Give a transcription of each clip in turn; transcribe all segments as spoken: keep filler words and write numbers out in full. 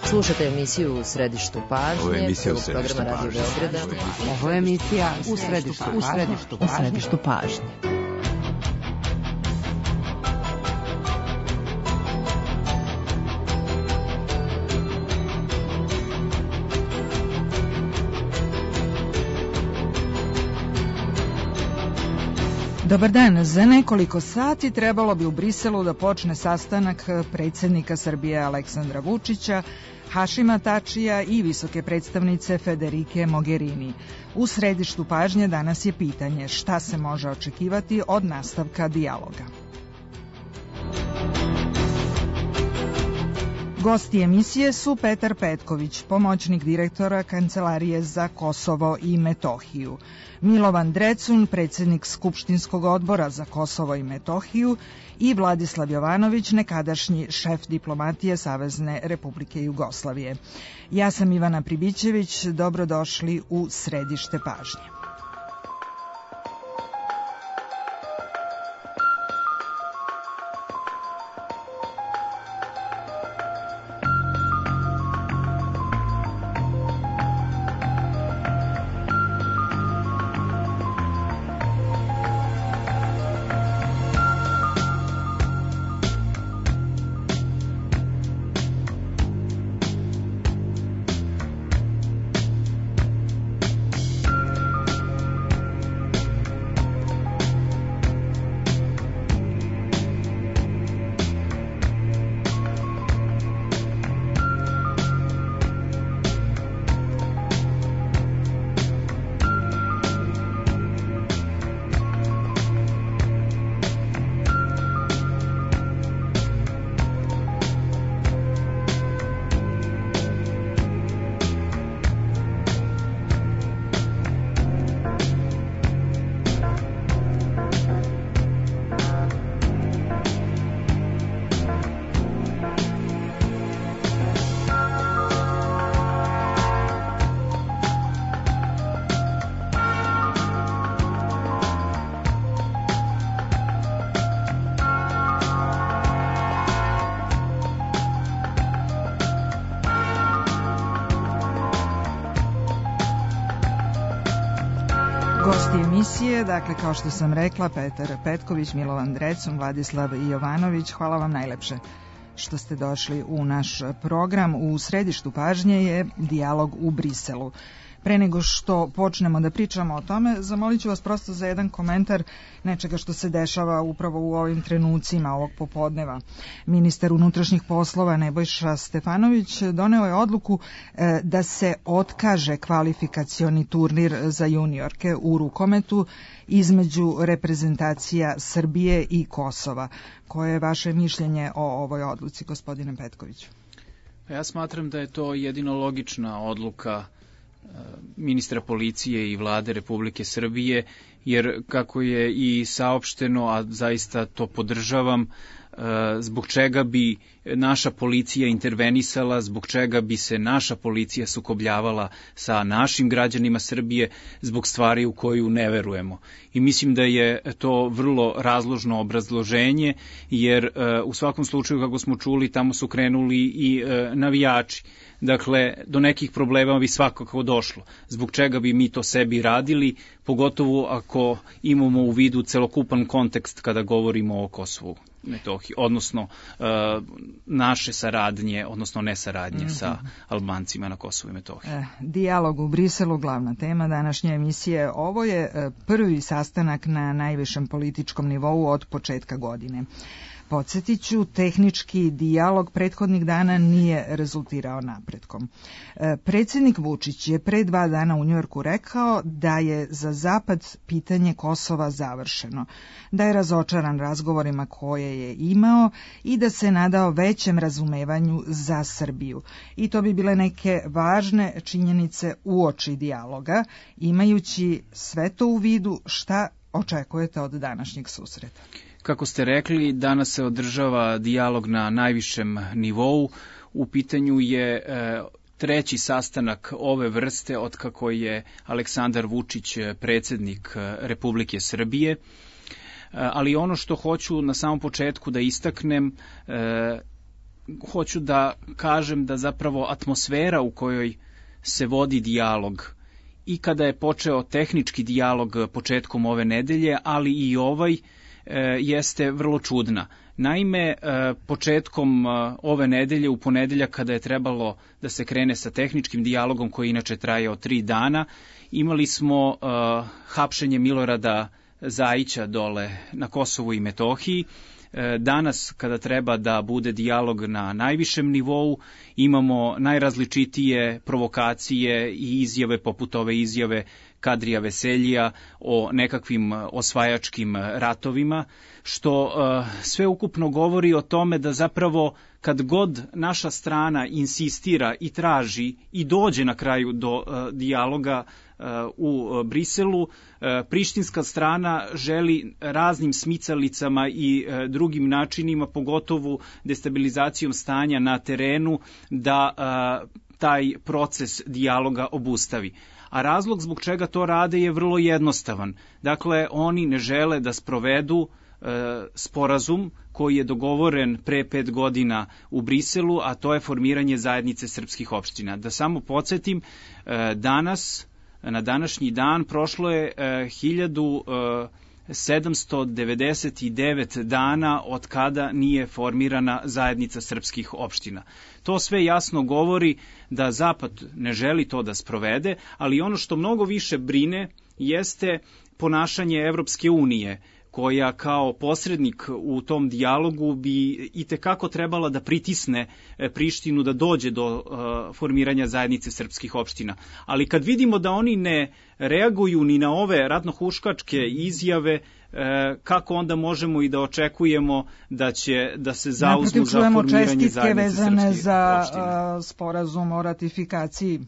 Slušate emisiju U središtu pažnje. Ovo je emisija U središtu programa Radio Beograda. Ovo je emisija U središtu pažnje. U središtu pažnje. U središtu pažnje. Dobar dan. Za nekoliko sati trebalo bi u Briselu da počne sastanak predsjednika Srbije Aleksandra Vučića, Hašima Tačija i visoke predstavnice Federike Mogherini. U središtu pažnje danas je pitanje šta se može očekivati od nastavka dijaloga. Gosti emisije su Petar Petković, pomoćnik direktora Kancelarije za Kosovo i Metohiju, Milovan Drecun, predsjednik Skupštinskog odbora za Kosovo i Metohiju i Vladislav Jovanović, nekadašnji šef diplomatije Savezne Republike Jugoslavije. Ja sam Ivana Pribićević, dobrodošli u središte pažnje. Gosti emisije, dakle kao što sam rekla, Petar Petković, Milovan Drecun, Vladislav Jovanović, hvala vam najlepše što ste došli u naš program. U središtu pažnje je dijalog u Briselu. Pre nego što počnemo da pričamo o tome, zamolit ću vas prosto za jedan komentar nečega što se dešava upravo u ovim trenucima ovog popodneva. Ministar unutrašnjih poslova Nebojša Stefanović doneo je odluku e, da se otkaže kvalifikacioni turnir za juniorke u rukometu između reprezentacija Srbije i Kosova. Koje je vaše mišljenje o ovoj odluci, gospodine Petkoviću? Ja smatram da je to jedino logična odluka ministra policije i vlade Republike Srbije, jer kako je i saopšteno, a zaista to podržavam, zbog čega bi naša policija intervenisala, zbog čega bi se naša policija sukobljavala sa našim građanima Srbije zbog stvari u koju ne verujemo. I mislim da je to vrlo razložno obrazloženje, jer u svakom slučaju, kako smo čuli, tamo su krenuli i navijači. Dakle, do nekih problema bi svakako došlo. Zbog čega bi mi to sebi radili, pogotovo ako imamo u vidu celokupan kontekst kada govorimo o Kosovu Metohiji, odnosno uh, naše saradnje, odnosno nesaradnje mm-hmm. sa Albancima na Kosovu i Metohiji. E, dijalog u Briselu, glavna tema današnje emisije. Ovo je prvi sastanak na najvišem političkom nivou od početka godine. Podsjetit ću, tehnički dijalog prethodnih dana nije rezultirao napretkom. E, predsjednik Vučić je pre dva dana u Njujorku rekao da je za Zapad pitanje Kosova završeno, da je razočaran razgovorima koje je imao i da se nadao većem razumevanju za Srbiju. I to bi bile neke važne činjenice uoči dijaloga, imajući sve to u vidu, šta očekujete od današnjeg susreta? Kako ste rekli, danas se održava dijalog na najvišem nivou. U pitanju je e, treći sastanak ove vrste od kako je Aleksandar Vučić predsjednik Republike Srbije. E, ali ono što hoću na samom početku da istaknem, e, hoću da kažem da zapravo atmosfera u kojoj se vodi dijalog i kada je počeo tehnički dijalog početkom ove nedelje, ali i ovaj e, jeste vrlo čudna. Naime, e, početkom e, ove nedelje, u ponedeljak kada je trebalo da se krene sa tehničkim dijalogom koji inače trajao tri dana, imali smo e, hapšenje Milorada Zajića dole na Kosovu i Metohiji. Danas, kada treba da bude dijalog na najvišem nivou, imamo najrazličitije provokacije i izjave poput ove izjave Kadrija Veseljija o nekakvim osvajačkim ratovima, što uh, sve ukupno govori o tome da zapravo kad god naša strana insistira i traži i dođe na kraju do uh, dijaloga uh, u Briselu, uh, prištinska strana želi raznim smicalicama i uh, drugim načinima, pogotovo destabilizacijom stanja na terenu, da uh, taj proces dijaloga obustavi. A razlog zbog čega to rade je vrlo jednostavan. Dakle, oni ne žele da sprovedu e, sporazum koji je dogovoren pre pet godina u Briselu, a to je formiranje zajednice srpskih opština. Da samo podsjetim, e, danas, na današnji dan, prošlo je e, hiljadu sedamsto devedeset devet dana od kada nije formirana zajednica srpskih opština. To sve jasno govori da Zapad ne želi to da sprovede, ali ono što mnogo više brine jeste ponašanje Evropske unije, koja kao posrednik u tom dijalogu bi itekako trebala da pritisne Prištinu da dođe do uh, formiranja zajednice srpskih opština. Ali kad vidimo da oni ne reaguju ni na ove ratnohuškačke izjave, uh, kako onda možemo i da očekujemo da će da se zauzmu za formiranje zajednice srpskih za, opština? Uh, sporazum o ratifikaciji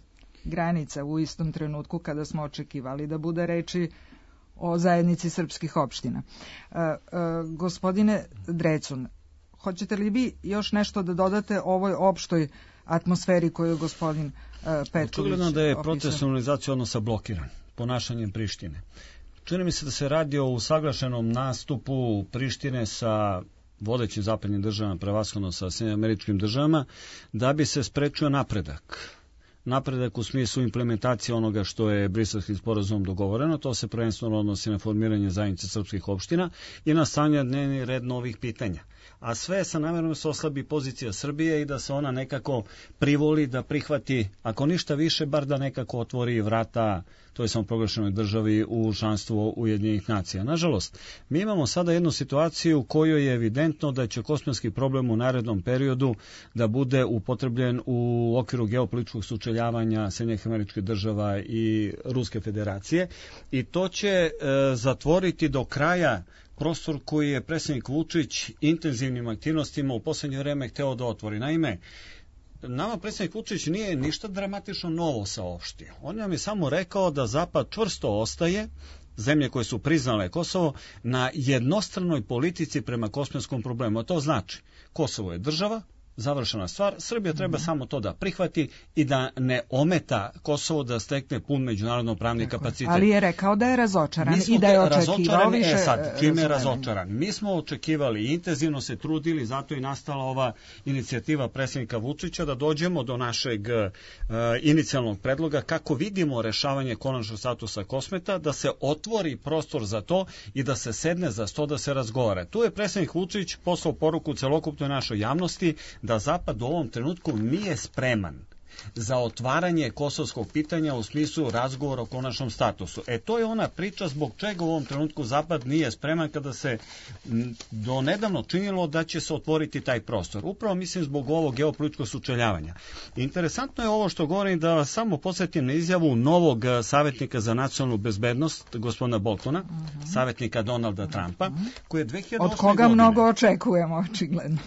granica u istom trenutku kada smo očekivali da bude reči o zajednici srpskih opština. E, e, gospodine Drecun, hoćete li vi još nešto da dodate ovoj opštoj atmosferi koju je gospodin e, Petković očigledno da je opisao? proces normalizacije odnosa blokiran ponašanjem Prištine. Čini mi se da se radi o usaglašenom nastupu Prištine sa vodećim zapadnim državama, prevashodno sa Sjedinjenim Američkim Državama, da bi se sprečio napredak. Napredak u smislu implementacije onoga što je Briselskim sporazumom dogovoreno, to se prvenstveno odnosi na formiranje zajednice srpskih opština i na stavljanje dnevni red novih pitanja. A sve sa namjerom se oslabi pozicija Srbije i da se ona nekako privoli da prihvati, ako ništa više, bar da nekako otvori vrata toj samoproglašenoj državi u članstvo Ujedinjenih nacija. Nažalost, mi imamo sada jednu situaciju u kojoj je evidentno da će kosmetski problem u narednom periodu da bude upotrebljen u okviru geopolitičkog sučeljavanja Sjedinjenih Američkih Država i Ruske Federacije i to će e, zatvoriti do kraja prostor koji je predsjednik Vučić intenzivnim aktivnostima u posljednje vreme hteo da otvori. Naime, nama predsjednik Vučić nije ništa dramatično novo saopštio. On nam je samo rekao da Zapad čvrsto ostaje, zemlje koje su priznale Kosovo, na jednostranoj politici prema kosmetskom problemu. A to znači, Kosovo je država, završena stvar, Srbija treba mm-hmm. samo to da prihvati i da ne ometa Kosovo da stekne pun međunarodno pravni kapacitet. Ali je rekao da je razočaran i da je očekivao više. E sad, čime je razočaran? Mi smo očekivali i intenzivno se trudili, zato je nastala ova inicijativa predsjednika Vučića da dođemo do našeg uh, inicijalnog predloga kako vidimo rešavanje konačnog statusa Kosmeta, da se otvori prostor za to i da se sedne za sto da se razgovara. Tu je predsjednik Vučić poslao poruku celokupnoj našoj javnosti da Zapad u ovom trenutku nije spreman za otvaranje kosovskog pitanja u smislu razgovora o konačnom statusu. E to je ona priča zbog čega u ovom trenutku Zapad nije spreman kada se do nedavno činilo da će se otvoriti taj prostor. Upravo mislim zbog ovog geopolitičkog sučeljavanja. Interesantno je ovo što govorim, da vas samo podsjetim na izjavu novog savjetnika za nacionalnu bezbednost, gospodina Boltona, uh-huh. savjetnika Donalda Trumpa, koji je dve hiljade osme Od koga godine, mnogo očekujemo, očigledno.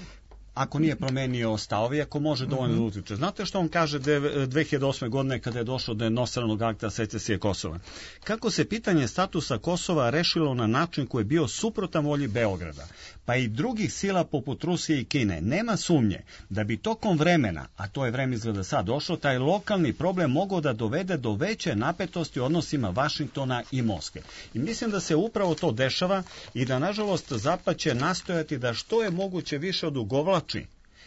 ako nije promenio stavovi, ako može dovoljno da utiče. Znate što on kaže dve hiljade osme godine kada je došlo do jednostranog akta secesije Kosova? Kako se pitanje statusa Kosova rešilo na način koji je bio suprotan volji Beograda, pa i drugih sila poput Rusije i Kine, nema sumnje da bi tokom vremena, a to je vreme izgleda sad došlo, taj lokalni problem mogao da dovede do veće napetosti u odnosima Vašingtona i Moskve. I mislim da se upravo to dešava i da, nažalost, Zapad će nastojati da što je moguće više odugovlači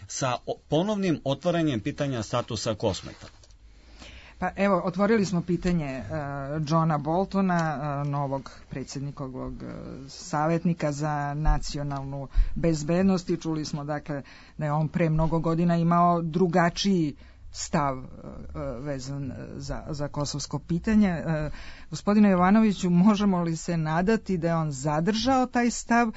sa ponovnim otvaranjem pitanja statusa Kosmeta? Pa evo, otvorili smo pitanje uh, Johna Boltona, uh, novog predsjednikovog uh, savjetnika za nacionalnu bezbednost, i čuli smo dakle da je on pre mnogo godina imao drugačiji stav uh, vezan za, za kosovsko pitanje. Uh, gospodine Jovanoviću, možemo li se nadati da je on zadržao taj stav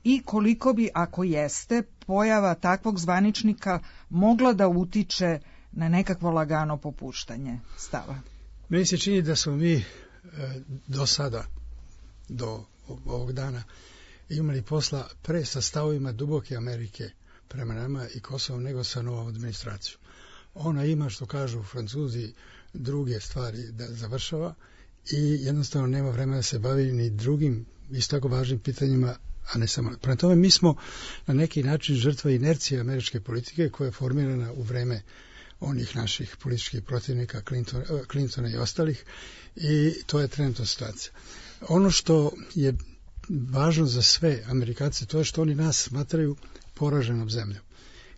i koliko bi, ako jeste, pojava takvog zvaničnika mogla da utiče na nekakvo lagano popuštanje stava? Meni se čini da smo mi e, do sada, do ovog dana, imali posla pre sa stavovima duboke Amerike prema nama i Kosovom nego sa novom administracijom. Ona ima, što kažu Francuzi, druge stvari da završava i jednostavno nema vremena da se bavi ni drugim isto tako važnim pitanjima, a ne samo. Prema tome, mi smo na neki način žrtva inercije američke politike koja je formirana u vreme onih naših političkih protivnika Clinton, Clintona i ostalih, i to je trenutna situacija. Ono što je važno za sve Amerikance, to je što oni nas smatraju poraženom zemljom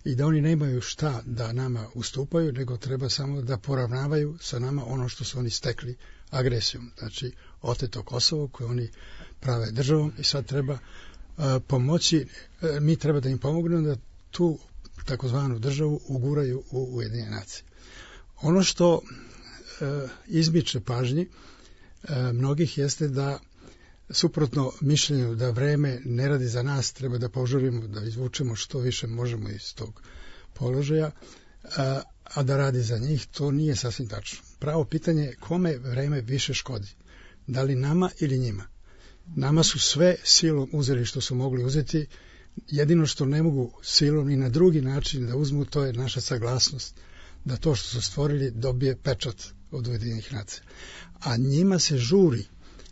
i da oni nemaju šta da nama ustupaju, nego treba samo da poravnavaju sa nama ono što su oni stekli agresijom. Znači, oteto Kosovo koje oni prave državom i sad treba uh, pomoći, uh, mi treba da im pomognemo da tu takozvanu državu uguraju u Ujedinjene nacije. Ono što e, izmiče pažnji e, mnogih jeste da suprotno mišljenju da vreme ne radi za nas, treba da požurimo da izvučemo što više možemo iz tog položaja, a, a da radi za njih, to nije sasvim tačno. Pravo pitanje je kome vreme više škodi. Da li nama ili njima? Nama su sve silom uzeli što su mogli uzeti. Jedino što ne mogu silom i na drugi način da uzmu, to je naša saglasnost da to što su stvorili dobije pečat od Ujedinjenih nacija. A njima se žuri.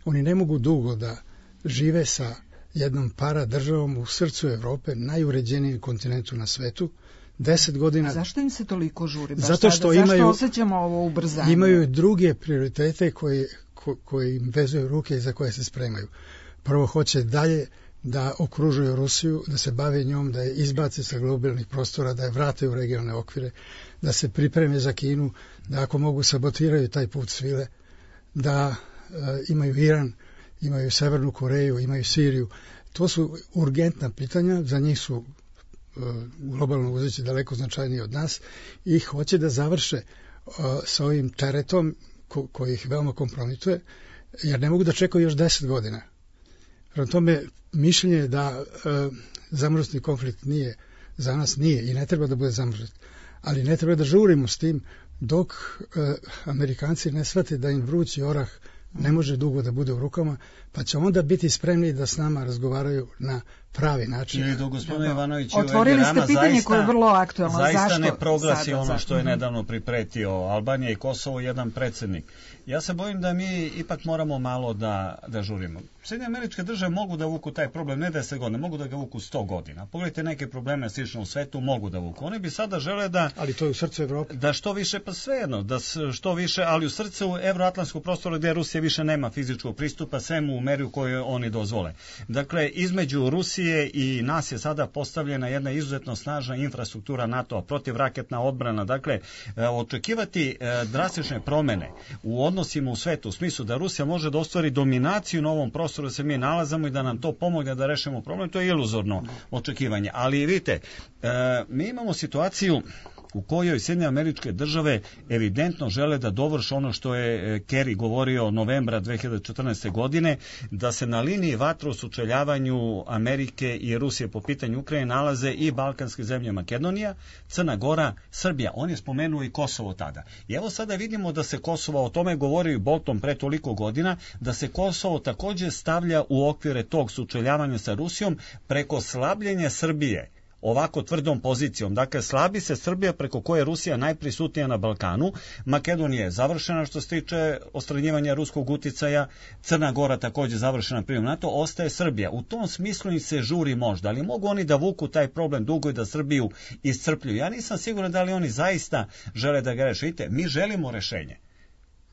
Oni ne mogu dugo da žive sa jednom para državom u srcu Evrope, najuređenijem kontinentu na svetu. Deset godina... A zašto im se toliko žuri? Baš Zato što sada, imaju, zašto osjećamo ovo ubrzanje? Imaju druge prioritete koje, ko, koje im vezuju ruke i za koje se spremaju. Prvo hoće dalje da okružuju Rusiju, da se bave njom, da je izbace sa globalnih prostora, da je vrate u regionalne okvire, da se pripreme za Kinu, da ako mogu sabotiraju taj put svile, da e, imaju Iran, imaju Severnu Koreju, imaju Siriju. To su urgentna pitanja, za njih su e, globalno uzeći daleko značajniji od nas i hoće da završe e, sa ovim teretom ko, koji ih veoma kompromituje, jer ne mogu da čekaju još deset godina. Prema tome, mišljenje je da e, zamrznutni konflikt nije za nas, nije i ne treba da bude zamrznut. Ali ne treba da žurimo s tim dok e, Amerikanci ne shvate da im vrući orah ne može dugo da bude u rukama, pa će onda biti spremni da s nama razgovaraju na pravi način. Ili do gospodina Ivanovića otvorili ste pitanje zaista, koje je vrlo aktualno. Zaista zašto ne proglasi sada, ono zašto? što je nedavno pripretio Albanija i Kosovo jedan predsjednik. Ja se bojim da mi ipak moramo malo da, da žurimo. Sjedinjene Američke Države mogu da vuku taj problem ne deset godina, mogu da ga vuku sto godina. Pogledajte neke probleme slično u svetu, mogu da vuku. Oni bi sada žele da... Ali to je u srcu Evrope. Da što više, pa svejedno, da što više, ali u srcu evroatlantskog prostora gdje Rusija više nema fizičkog pristupa, svemu u meri u kojoj oni dozvole. Dakle, između Rusije i nas je sada postavljena jedna izuzetno snažna infrastruktura NATO-a, protivraketna odbrana. Dakle, očekivati drastične promjene u odnosima u svetu, u smislu da Rusija može da ostvari dominaciju na ovom prostoru da se mi nalazamo i da nam to pomogne da rešimo problem, to je iluzorno očekivanje. Ali vidite, mi imamo situaciju u kojoj Sjedinjene Američke Države evidentno žele da dovrše ono što je Kerry govorio novembra dve hiljade četrnaeste. godine, da se na liniji vatre u sučeljavanju Amerike i Rusije po pitanju Ukrajine nalaze i balkanske zemlje Makedonija, Crna Gora, Srbija. On je spomenuo i Kosovo tada. I evo sada vidimo da se Kosovo, o tome govorio i Bolton pre toliko godina, da se Kosovo također stavlja u okvire tog sučeljavanja sa Rusijom preko slabljenja Srbije ovako tvrdom pozicijom. Dakle, slabi se Srbija preko koje je Rusija najprisutnija na Balkanu. Makedonija je završena što se tiče odstranjivanja ruskog uticaja, Crna Gora također završena prijem NATO, ostaje Srbija. U tom smislu im se žuri možda, ali mogu oni da vuku taj problem dugo i da Srbiju iscrpljuju. Ja nisam siguran da li oni zaista žele da ga reše. Vidite, mi želimo rešenje.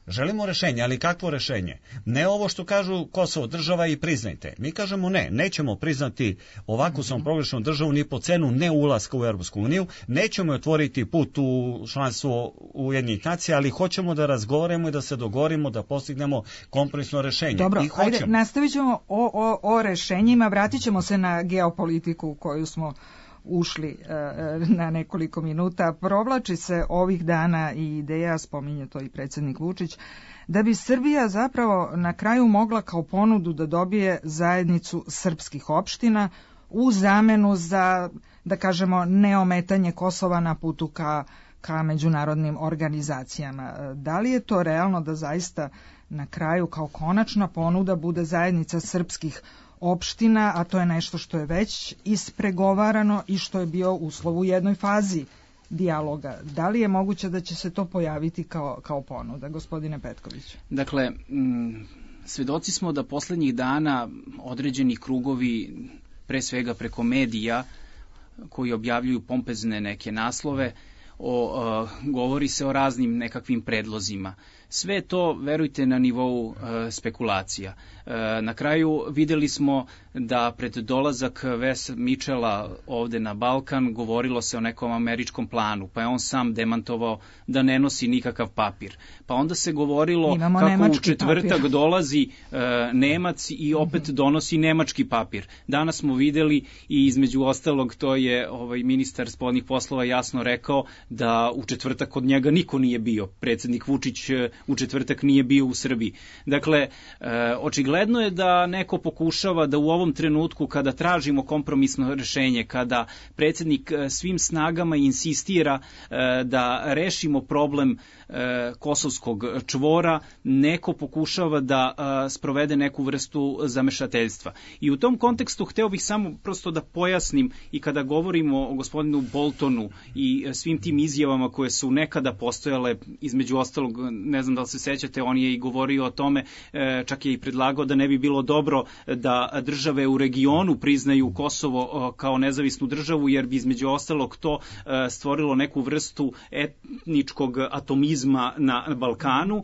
Želimo rešenje, ali kakvo rešenje? Ne ovo što kažu Kosovo, država i priznajte. Mi kažemo ne, nećemo priznati ovakvu samoproglašenu državu ni po cenu ne ulaska u Europsku uniju, nećemo otvoriti put u članstvo Ujedinjenih nacija, ali hoćemo da razgovaramo i da se dogovorimo, da postignemo kompromisno rešenje. Dobro, I hoćemo. Ajde, nastavit ćemo o, o, o rešenjima, vratit ćemo se na geopolitiku koju smo ušli na nekoliko minuta. Provlači se ovih dana i ideja, spominje to i predsjednik Vučić, da bi Srbija zapravo na kraju mogla kao ponudu da dobije zajednicu srpskih opština u zamenu za, da kažemo, neometanje Kosova na putu ka, ka međunarodnim organizacijama. Da li je to realno da zaista na kraju kao konačna ponuda bude zajednica srpskih opština, a to je nešto što je već ispregovarano i što je bio uslov u jednoj fazi dijaloga. Da li je moguće da će se to pojaviti kao, kao ponuda, gospodine Petković? Dakle, m, svedoci smo da poslednjih dana određeni krugovi, pre svega preko medija, koji objavljuju pompezne neke naslove, o, a, govori se o raznim nekakvim predlozima. Sve to, verujte, na nivou e, spekulacija. E, na kraju videli smo da pred dolazak Wes Mitchella ovde na Balkan govorilo se o nekom američkom planu, pa je on sam demantovao da ne nosi nikakav papir. Pa onda se govorilo Imamo kako u četvrtak papir. dolazi e, Nemac i opet donosi nemački papir. Danas smo videli i između ostalog to je ovaj ministar spoljnih poslova jasno rekao da u četvrtak kod njega niko nije bio. Predsjednik Vučić u četvrtak nije bio u Srbiji. Dakle, e, očigledno je da neko pokušava da u ovom trenutku kada tražimo kompromisno rešenje, kada predsjednik svim snagama insistira e, da rešimo problem e, kosovskog čvora, neko pokušava da e, sprovede neku vrstu zamešateljstva. I u tom kontekstu hteo bih samo prosto da pojasnim i kada govorimo o gospodinu Boltonu i svim tim izjavama koje su nekada postojale, između ostalog, ne znam da li se sećate, on je i govorio o tome, čak je i predlagao da ne bi bilo dobro da države u regionu priznaju Kosovo kao nezavisnu državu, jer bi između ostalog to stvorilo neku vrstu etničkog atomizma na Balkanu.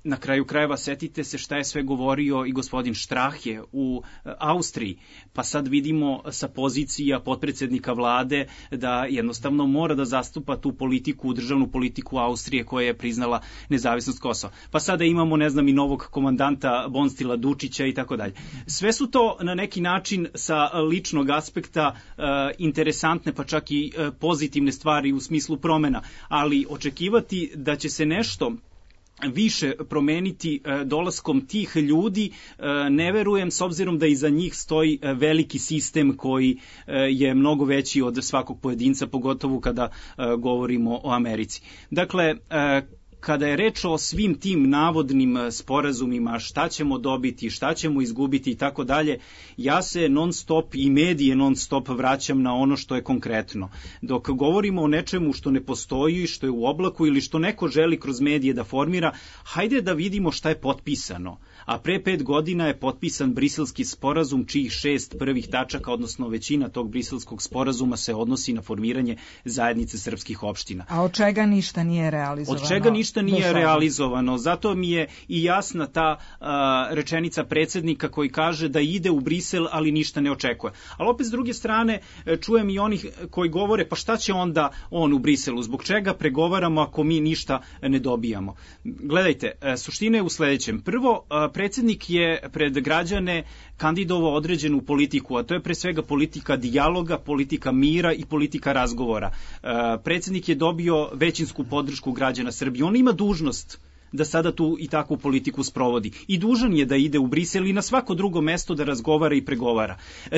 Na kraju krajeva setite se šta je sve govorio i gospodin Strahe u Austriji, pa sad vidimo sa pozicija potpredsjednika vlade da jednostavno mora da zastupa tu politiku, državnu politiku Austrije koja je priznala nezavisnost Kosova. Pa sada imamo, ne znam, i novog komandanta Bonstila Dučića i tako dalje. Sve su to na neki način sa ličnog aspekta e, interesantne, pa čak i e, pozitivne stvari u smislu promena, ali očekivati da će se nešto više promeniti e, dolaskom tih ljudi, e, ne verujem, s obzirom da iza njih stoji e, veliki sistem koji e, je mnogo veći od svakog pojedinca, pogotovo kada e, govorimo o Americi. Dakle, e, kada je reč o svim tim navodnim sporazumima, šta ćemo dobiti, šta ćemo izgubiti i tako dalje, ja se non stop i medije non stop vraćam na ono što je konkretno. Dok govorimo o nečemu što ne postoji, što je u oblaku ili što neko želi kroz medije da formira, hajde da vidimo šta je potpisano. A pre pet godina je potpisan Briselski sporazum, čijih šest prvih tačaka, odnosno većina tog Briselskog sporazuma se odnosi na formiranje zajednice srpskih opština. A od čega ništa nije realizovano? Od čega ništa nije realizovano. Zato mi je i jasna ta a, rečenica predsjednika koji kaže da ide u Brisel, ali ništa ne očekuje. Ali opet s druge strane čujem i onih koji govore, pa šta će onda on u Briselu? Zbog čega pregovaramo ako mi ništa ne dobijamo? Gledajte, suština je u sledećem. Prvo, predsjednik je pred građane kandidovao određenu politiku, a to je pre svega politika dijaloga, politika mira i politika razgovora. Predsjednik je dobio većinsku podršku građana Srbije. On ima dužnost da sada tu i takvu politiku sprovodi. I dužan je da ide u Brisel i na svako drugo mesto da razgovara i pregovara.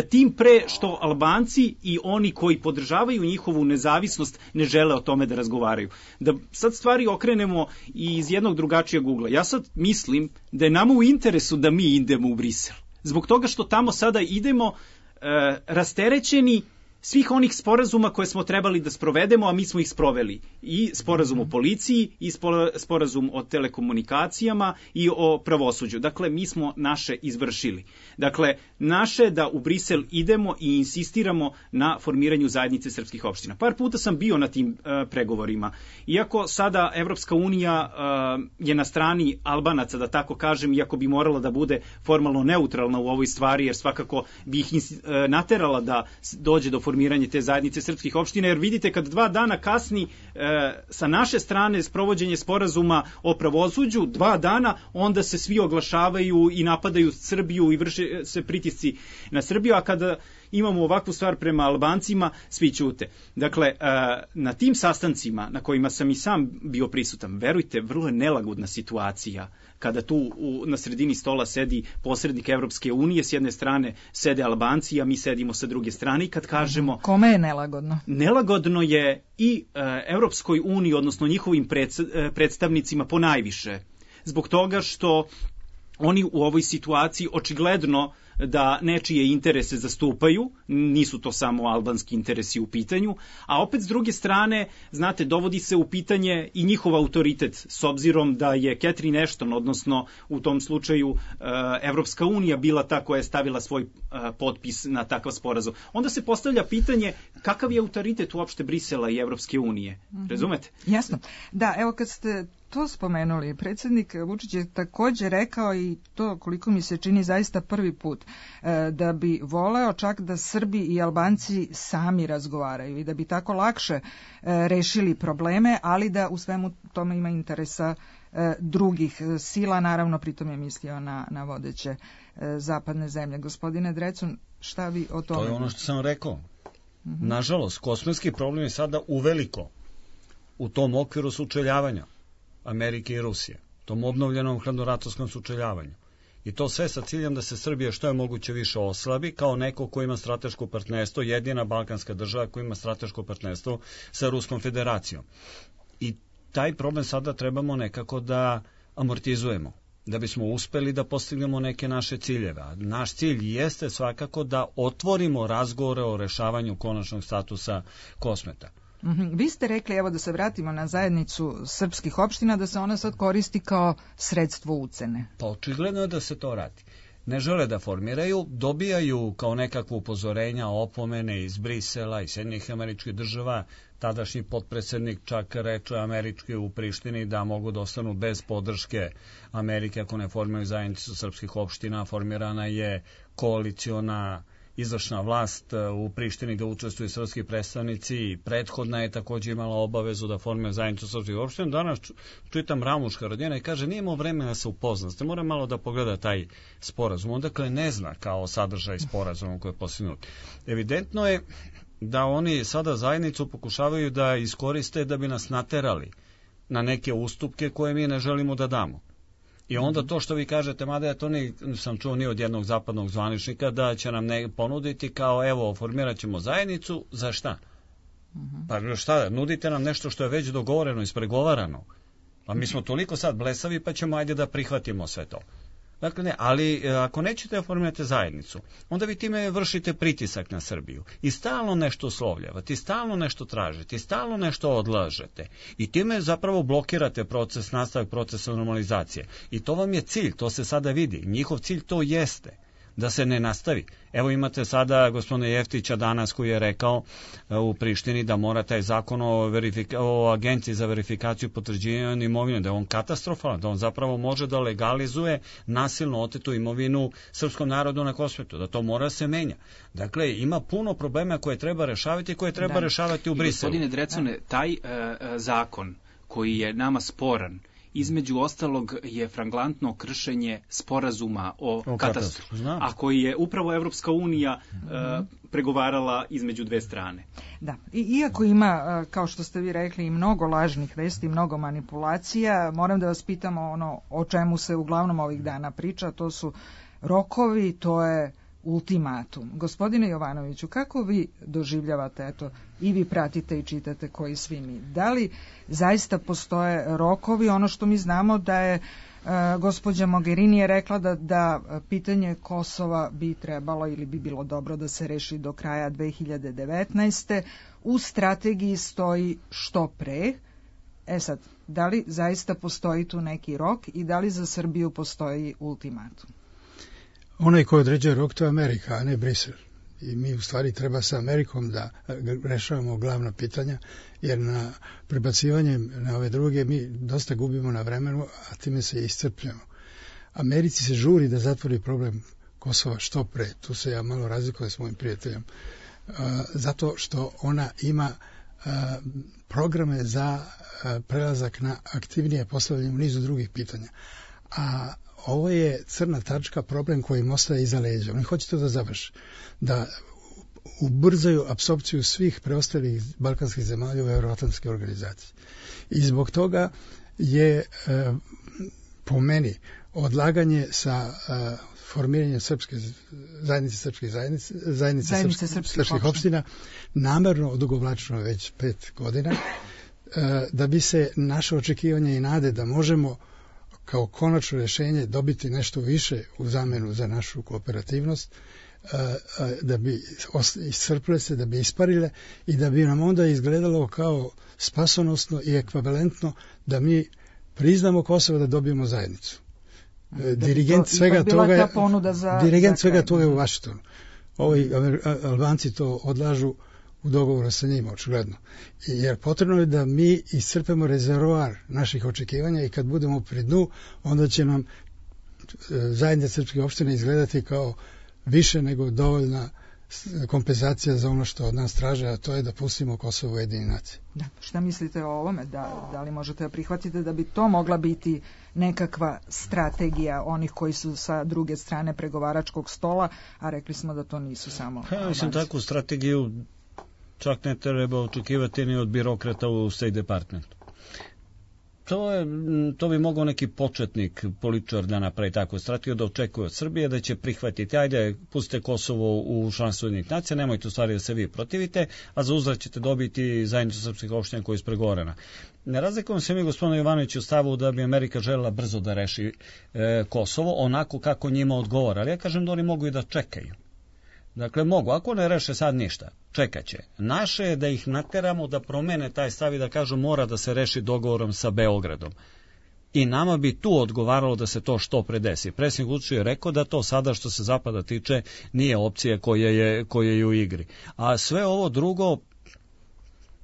Tim pre što Albanci i oni koji podržavaju njihovu nezavisnost ne žele o tome da razgovaraju. Da sad stvari okrenemo i iz jednog drugačijeg ugla. Ja sad mislim da je nama u interesu da mi idemo u Brisel. Zbog toga što tamo sada idemo e, rasterećeni svih onih sporazuma koje smo trebali da sprovedemo, a mi smo ih sproveli. I sporazum o policiji, i sporazum o telekomunikacijama i o pravosuđu. Dakle, mi smo naše izvršili. Dakle, naše da u Brisel idemo i insistiramo na formiranju zajednice srpskih opština. Par puta sam bio na tim uh, pregovorima. Iako sada Evropska unija uh, je na strani Albanaca, da tako kažem, iako bi morala da bude formalno neutralna u ovoj stvari, jer svakako bi ih uh, naterala da dođe do formiranje te zajednice srpskih opština, jer vidite kad dva dana kasni e, sa naše strane sprovođenje sporazuma o pravosuđu, dva dana, onda se svi oglašavaju i napadaju Srbiju i vrše se pritisci na Srbiju, a kada imamo ovakvu stvar prema Albancima, svi ćute. Dakle, e, na tim sastancima na kojima sam i sam bio prisutan, verujte, vrlo je nelagodna situacija kada tu u, na sredini stola sedi posrednik Evropske unije, s jedne strane sede Albanci, a mi sedimo sa druge strane i kad kažemo... Kome je nelagodno? Nelagodno je i e, Evropskoj uniji, odnosno njihovim pred, e, predstavnicima ponajviše. Zbog toga što oni u ovoj situaciji očigledno da nečije interese zastupaju, nisu to samo albanski interesi u pitanju, a opet s druge strane, znate, dovodi se u pitanje i njihov autoritet, s obzirom da je Catherine Ashton, odnosno u tom slučaju Evropska unija bila ta koja je stavila svoj potpis na takav sporazum. Onda se postavlja pitanje kakav je autoritet uopšte Brisela i Evropske unije, razumete? Jasno. Da, evo kad ste to spomenuli, predsjednik Vučić je također rekao, i to koliko mi se čini zaista prvi put, da bi voleo čak da Srbi i Albanci sami razgovaraju i da bi tako lakše rešili probleme, ali da u svemu tome ima interesa drugih sila, naravno pritom je mislio na, na vodeće zapadne zemlje. Gospodine Drecun, šta vi o tome? To je ono što sam rekao. Mm-hmm. Nažalost, kosmetski problem je sada uveliko u tom okviru sučeljavanja Amerike i Rusije, tom obnovljenom hladnoratovskom sučeljavanju. I to sve sa ciljem da se Srbija što je moguće više oslabi kao neko ko ima strateško partnerstvo, jedina balkanska država koja ima strateško partnerstvo sa Ruskom federacijom. I taj problem sada trebamo nekako da amortizujemo, da bismo uspeli da postignemo neke naše ciljeve. A naš cilj jeste svakako da otvorimo razgovore o rešavanju konačnog statusa Kosmeta. Mm-hmm. Vi ste rekli, evo da se vratimo na zajednicu srpskih opština, da se ona sad koristi kao sredstvo ucene. Pa očigledno je da se to radi. Ne žele da formiraju, dobijaju kao nekakvo upozorenja, opomene iz Brisela i Sjedinjenih Američkih Država. Tadašnji potpredsjednik čak reče američki u Prištini da mogu da ostanu bez podrške Amerike ako ne formiraju zajednicu srpskih opština. Formirana je koaliciona izvršna vlast u Prištini da učestvuju srpski predstavnici i prethodna je također imala obavezu da formira zajednicu srpskih opština. Danas čitam Ramuš Haradinja i kaže nije imao vremena da se upozna, ste mora malo da pogleda taj sporazum. On dakle ne zna kao sadržaj sporazuma koji je postignut. Evidentno je da oni sada zajednicu pokušavaju da iskoriste da bi nas naterali na neke ustupke koje mi ne želimo da damo. I onda to što vi kažete, mada ja to nisam čuo ni od jednog zapadnog zvaničnika, da će nam ne ponuditi kao evo, formirat ćemo zajednicu, za šta? Pa šta, nudite nam nešto što je već dogovoreno, ispregovarano. Pa mi smo toliko sad blesavi pa ćemo ajde da prihvatimo sve to. Dakle ne, ali ako nećete da formirate zajednicu, onda vi time vršite pritisak na Srbiju i stalno nešto uslovljavate, i stalno nešto tražite, i stalno nešto odlažete i time zapravo blokirate proces, nastavak procesa normalizacije. I to vam je cilj, to se sada vidi. Njihov cilj to jeste, da se ne nastavi. Evo imate sada gospodina Jeftića danas koji je rekao u Prištini da mora taj zakon o, verifika- o agenciji za verifikaciju potvrđivanja imovine, da je on katastrofalan, da on zapravo može da legalizuje nasilno otetu imovinu srpskom narodu na Kosmetu, da to mora se menja. Dakle, ima puno problema koje treba rešavati i koje treba da. rešavati u Briselu. Gospodine Drecune, taj uh, zakon koji je nama sporan, između ostalog je flagrantno kršenje sporazuma o, o katastru, a koji je upravo Evropska unija uh, pregovarala između dve strane. Da, I, iako ima, kao što ste vi rekli, i mnogo lažnih vesti, mnogo manipulacija, moram da vas pitam ono o čemu se uglavnom ovih dana priča, to su rokovi, to je ultimatum. Gospodine Jovanoviću, kako vi doživljavate, eto, i vi pratite i čitate koji svi mi, da li zaista postoje rokovi, ono što mi znamo da je gospođa Mogherini je rekla da, da pitanje Kosova bi trebalo ili bi bilo dobro da se reši do kraja dve hiljade devetnaeste. U strategiji stoji što pre. E sad, da li zaista postoji tu neki rok i da li za Srbiju postoji ultimatum? Onaj ko određuje rok, to je Amerika, a ne Brisel. I mi u stvari treba sa Amerikom da rešavamo glavna pitanja, jer na prebacivanjem na ove druge mi dosta gubimo na vremenu, a time se iscrpljamo. Americi se žuri da zatvori problem Kosova što pre. Tu se ja malo razlikujem s mojim prijateljem. Zato što ona ima programe za prelazak na aktivnije postavljanje u nizu drugih pitanja. A ovo je crna tačka, problem koji im ostaje iza leđa. Oni hoće to da završi, da ubrzaju apsorpciju svih preostalih balkanskih zemalja u Euroatlantske organizacije. I zbog toga je e, po meni odlaganje sa e, formiranjem srpske zajednice srpskih zajednice, zajednice, zajednice srpskih, srpskih, srpskih opština namerno odugovlačeno već pet godina, e, da bi se naše očekivanje i nade da možemo kao konačno rješenje dobiti nešto više u zamenu za našu kooperativnost, da bi iscrpile se, da bi isparile i da bi nam onda izgledalo kao spasonosno i ekvivalentno da mi priznamo Kosovo, da dobijemo zajednicu. Da dirigent to, svega toga je, za, dirigent za svega toga je u Vašingtonu. Ovi Albanci to odlažu u dogovoru sa njima, očigledno. Jer potrebno je da mi iscrpemo rezervoar naših očekivanja i kad budemo pri dnu, onda će nam zajednica srpskih opština izgledati kao više nego dovoljna kompenzacija za ono što od nas traže, a to je da pustimo Kosovo u Ujedinjene nacije. Da. Šta mislite o ovome? Da, da li možete da prihvatite da bi to mogla biti nekakva strategija onih koji su sa druge strane pregovaračkog stola, a rekli smo da to nisu samo... Ja mislim, takvu strategiju čak ne treba očekivati ni od birokrata u State Departmentu. To, je, to bi mogao neki početnik, političar da napravi takvu strategiju, da očekuje od Srbije da će prihvatiti, ajde, pustite Kosovo u članstvo Ujedinjenih nacija, nemojte u stvari da se vi protivite, a za uzvrat ćete dobiti zajednicu srpskih opština koja je ispregovorena. Ne razlikujemo se mi, gospodine Jovanoviću, u stavu da bi Amerika željela brzo da reši e, Kosovo, onako kako njima odgovara, ali ja kažem da oni mogu i da čekaju. Dakle, mogu, ako ne reše sad ništa, čekat će. Naše je da ih nateramo da promene taj stav i da kažu mora da se reši dogovorom sa Beogradom. I nama bi tu odgovaralo da se to što pre desi. Predsjednik Vučić je rekao da to sada što se Zapada tiče nije opcija koja je, koja je u igri. A sve ovo drugo,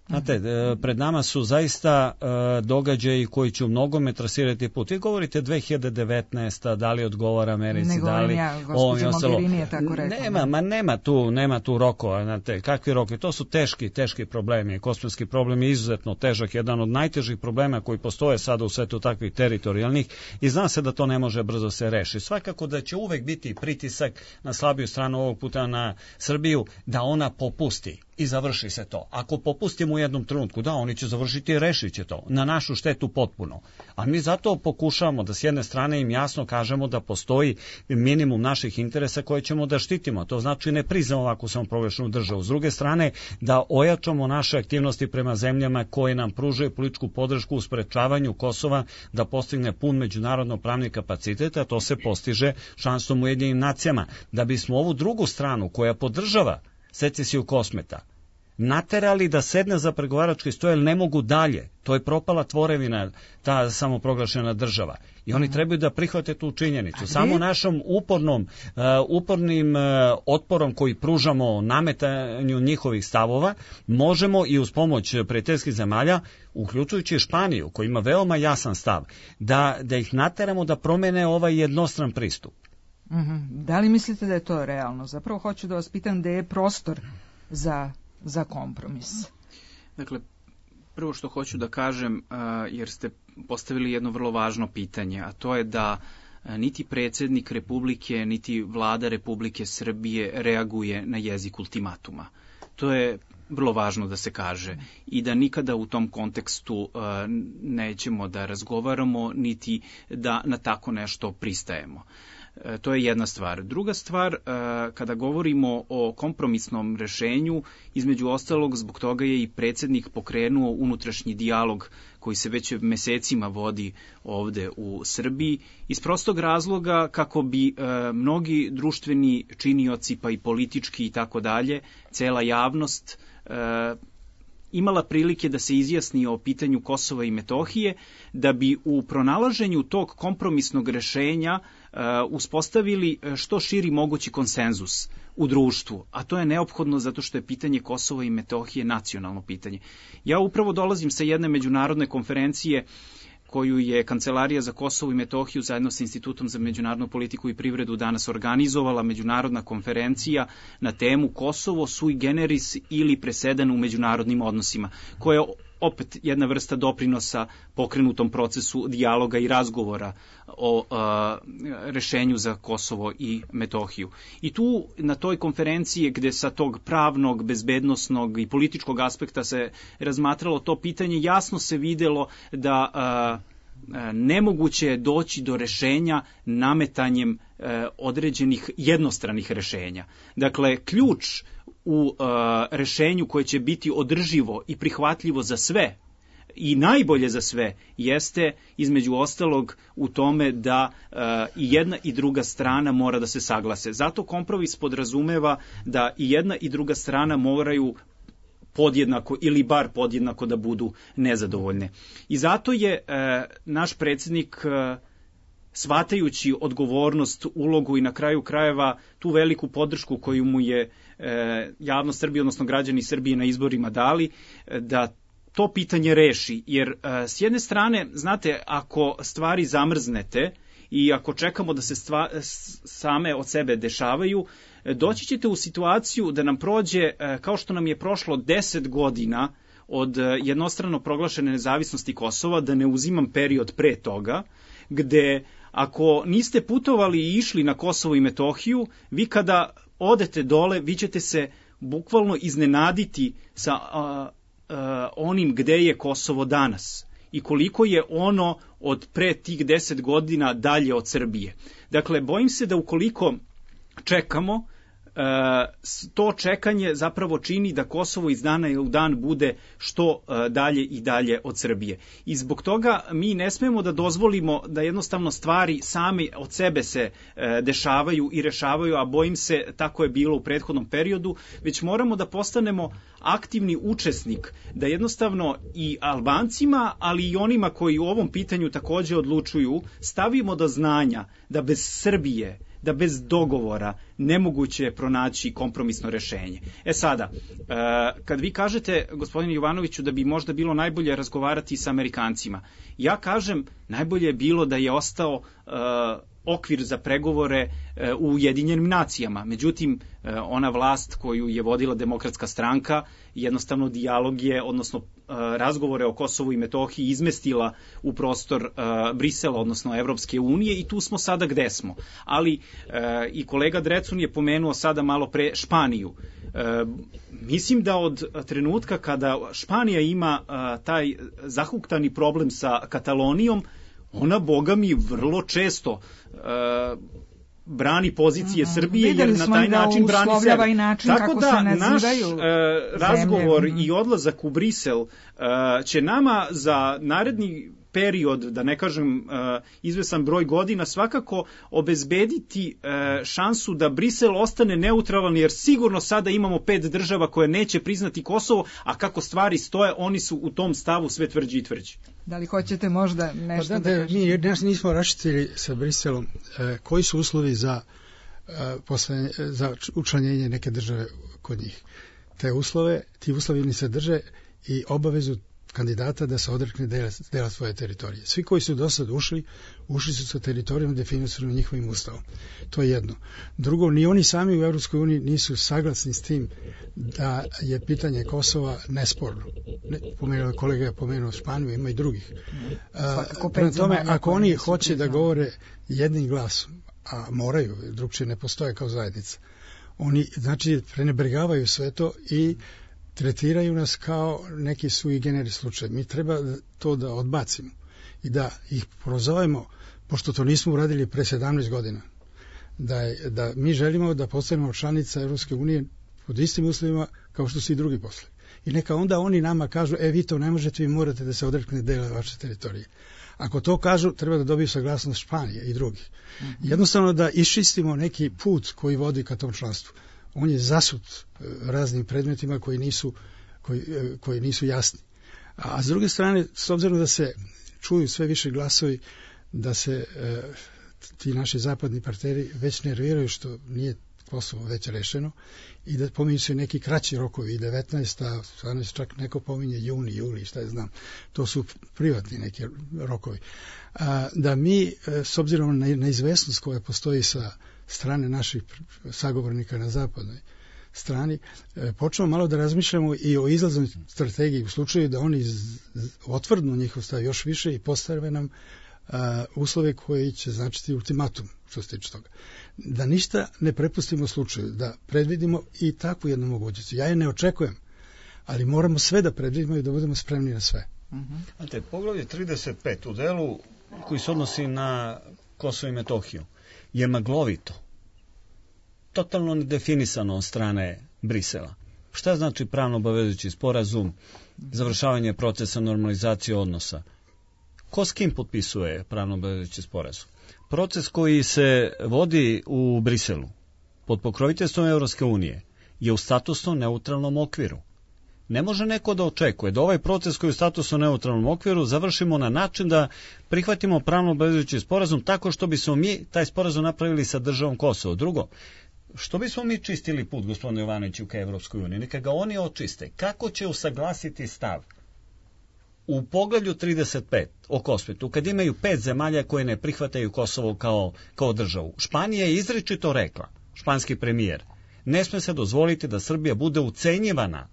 znate, pred nama su zaista uh, događaji koji će u mnogome trasirati put. Vi govorite dve hiljade devetnaeste. da li odgovara Americi, ne da li... Ja, gospođa Mogherini je tako rekla. Nema, ma nema tu, nema tu rokova, znate, kakvi rokovi, to su teški, teški problemi. Kosovski problem je izuzetno težak, jedan od najtežih problema koji postoje sada u svetu takvih teritorijalnih i zna se da to ne može brzo se reši. Svakako da će uvek biti pritisak na slabiju stranu, ovog puta na Srbiju, da ona popusti. I završi se to. Ako popustimo u jednom trenutku, da, oni će završiti i rešit će to. Na našu štetu potpuno. A mi zato pokušavamo da s jedne strane im jasno kažemo da postoji minimum naših interesa koje ćemo da štitimo. To znači ne priznamo ovako samoproglašenu državu. S druge strane, da ojačamo naše aktivnosti prema zemljama koje nam pružaju političku podršku u sprečavanju Kosova da postigne pun međunarodno pravni kapacitet, a to se postiže članstvom u Ujedinjenim nacijama. Da bismo ovu drugu stranu koja podržava secesiju Kosmeta naterali da sedne za pregovarački sto, jer ne mogu dalje. To je propala tvorevina, ta samoproglašena država. I oni trebaju da prihvate tu činjenicu. Samo našom upornom, uh, upornim uh, otporom koji pružamo nametanju njihovih stavova, možemo i uz pomoć prijateljskih zemalja, uključujući i Španiju, koji ima veoma jasan stav, da, da ih nateramo da promene ovaj jednostran pristup. Mm-hmm. Da li mislite da je to realno? Zapravo hoću da vas pitam gde je prostor za, za kompromis. Dakle, prvo što hoću da kažem, jer ste postavili jedno vrlo važno pitanje, a to je da niti predsjednik Republike, niti vlada Republike Srbije reaguje na jezik ultimatuma. To je vrlo važno da se kaže i da nikada u tom kontekstu uh, nećemo da razgovaramo, niti da na tako nešto pristajemo. To je jedna stvar. Druga stvar, kada govorimo o kompromisnom rešenju, između ostalog zbog toga je i predsjednik pokrenuo unutrašnji dijalog koji se već mesecima vodi ovde u Srbiji, iz prostog razloga kako bi mnogi društveni činioci, pa i politički i tako dalje, cela javnost imala prilike da se izjasni o pitanju Kosova i Metohije, da bi u pronalaženju tog kompromisnog rešenja uh, uspostavili što širi mogući konsenzus u društvu, a to je neophodno zato što je pitanje Kosova i Metohije nacionalno pitanje. Ja upravo dolazim sa jedne međunarodne konferencije koju je Kancelarija za Kosovo i Metohiju zajedno sa Institutom za međunarodnu politiku i privredu danas organizovala, međunarodna konferencija na temu Kosovo sui generis ili presedan u međunarodnim odnosima, koja je opet jedna vrsta doprinosa pokrenutom procesu dijaloga i razgovora o a, rešenju za Kosovo i Metohiju. I tu na toj konferenciji gde sa tog pravnog, bezbednosnog i političkog aspekta se razmatralo to pitanje, jasno se videlo da a, a, nemoguće je doći do rešenja nametanjem a, određenih jednostranih rešenja. Dakle, ključ u uh, rešenju koje će biti održivo i prihvatljivo za sve i najbolje za sve jeste između ostalog u tome da uh, i jedna i druga strana mora da se saglase. Zato kompromis podrazumeva da i jedna i druga strana moraju podjednako ili bar podjednako da budu nezadovoljne. I zato je uh, naš predsjednik uh, shvatajući odgovornost, ulogu i na kraju krajeva tu veliku podršku koju mu je e, javnost Srbije, odnosno građani Srbije na izborima dali, e, da to pitanje reši. Jer e, s jedne strane, znate, ako stvari zamrznete i ako čekamo da se stva, same od sebe dešavaju, e, doći ćete u situaciju da nam prođe, e, kao što nam je prošlo deset godina od e, jednostrano proglašene nezavisnosti Kosova, da ne uzimam period pre toga, gde ako niste putovali i išli na Kosovo i Metohiju, vi kada odete dole, vi ćete se bukvalno iznenaditi sa a, a, onim gde je Kosovo danas i koliko je ono od pre tih deset godina dalje od Srbije. Dakle, bojim se da ukoliko čekamo, to čekanje zapravo čini da Kosovo iz dana u dan bude što dalje i dalje od Srbije. I zbog toga mi ne smemo da dozvolimo da jednostavno stvari same od sebe se dešavaju i rešavaju, a bojim se tako je bilo u prethodnom periodu, već moramo da postanemo aktivni učesnik, da jednostavno i Albancima, ali i onima koji u ovom pitanju takođe odlučuju, stavimo do znanja da bez Srbije, da bez dogovora nemoguće je pronaći kompromisno rešenje. E sada, kad vi kažete, gospodine Jovanoviću, da bi možda bilo najbolje razgovarati sa Amerikancima, ja kažem, najbolje je bilo da je ostao okvir za pregovore u Ujedinjenim nacijama. Međutim, ona vlast koju je vodila Demokratska stranka, jednostavno dijalog je, odnosno razgovore o Kosovu i Metohiji izmestila u prostor Brisela, odnosno Evropske unije, i tu smo sada gde smo. Ali i kolega Drecun je pomenuo sada malo pre Španiju. Mislim da od trenutka kada Španija ima taj zahuktani problem sa Katalonijom, ona, boga mi, vrlo često uh, brani pozicije mm, Srbije, jer na taj način da brani sebe. I način Tako kako da se naš uh, razgovor zemlje. i odlazak u Brisel uh, će nama za naredni period, da ne kažem uh, izvesan broj godina, svakako obezbediti uh, šansu da Brisel ostane neutralan, jer sigurno sada imamo pet država koje neće priznati Kosovo, a kako stvari stoje, oni su u tom stavu sve tvrđi i tvrđi. Da li hoćete možda nešto pa da, da, da kažete? Mi nas nismo raščitili sa Briselom e, koji su uslovi za, e, posle, za učlanjenje neke države kod njih. Te uslove, ti uslovi ni se drže i obavezu kandidata da se odrekne dela, dela svoje teritorije. Svi koji su do sad ušli, ušli su sa teritorijom definisano njihovim ustavom. To je jedno. Drugo, ni oni sami u Evropskoj uniji nisu saglasni s tim da je pitanje Kosova nesporno. Ne, pomenuo, kolega je pomenuo Španiju, ima i drugih. Uh, prema tome, ako oni hoće da govore jednim glasom, a moraju, drugčije ne postoje kao zajednica, oni, znači, prenebregavaju sve to i tretiraju nas kao neki sui generis slučaj. Mi treba to da odbacimo i da ih prozovemo, pošto to nismo uradili pre sedamnaest godina, da, je, da mi želimo da postanemo članica Evropske unije pod istim uslovima kao što su i drugi poslovi. I neka onda oni nama kažu, e vi to ne možete, vi morate da se odrekne dela vaše teritorije. Ako to kažu, treba da dobiju saglasnost Španije i drugih. Mm-hmm. Jednostavno da iščistimo neki put koji vodi ka tom članstvu. On je zasut raznim predmetima koji nisu, koji, koji nisu jasni. A s druge strane, s obzirom da se čuju sve više glasovi, da se e, ti naši zapadni partneri već nerviraju što nije Kosovo već rešeno i da pominju se neki kraći rokovi i devetnaesta, čak neko pominje juni, juli, šta je znam, to su privatni neki rokovi. A, da mi, s obzirom na neizvesnost koja postoji sa strane naših sagovornika na zapadnoj strani, počnemo malo da razmišljamo i o izlaznoj strategiji u slučaju da oni otvrdnu njihov stav još više i postave nam a, uslove koji će značiti ultimatum što se tiče toga. Da ništa ne prepustimo slučaju, da predvidimo i takvu jednu mogućnost. Ja je ne očekujem, ali moramo sve da predvidimo i da budemo spremni na sve. Uh-huh. Znate, poglavlje trideset pet u delu koji se odnosi na Kosovo i Metohiju je maglovito, totalno nedefinisano od strane Brisela. Šta znači pravno obavezujući sporazum, završavanje procesa normalizacije odnosa? Ko s kim potpisuje pravno obavezujući sporazum? Proces koji se vodi u Briselu pod pokroviteljstvom Evropske unije je u statusno neutralnom okviru. Ne može neko da očekuje da ovaj proces koji je u statusno neutralnom okviru završimo na način da prihvatimo pravno obavezujući sporazum tako što bismo mi taj sporazum napravili sa državom Kosovo. Drugo, što bismo mi čistili put, gospodine Jovanoviću, ka Evropskoj uniji? Neka ga oni očiste. Kako će usaglasiti stav u poglavlju trideset pet o Kosmetu, kad imaju pet zemalja koje ne prihvataju Kosovo kao, kao državu? Španija je izričito rekla, španski premijer, ne sme se dozvoliti da Srbija bude ucenjivana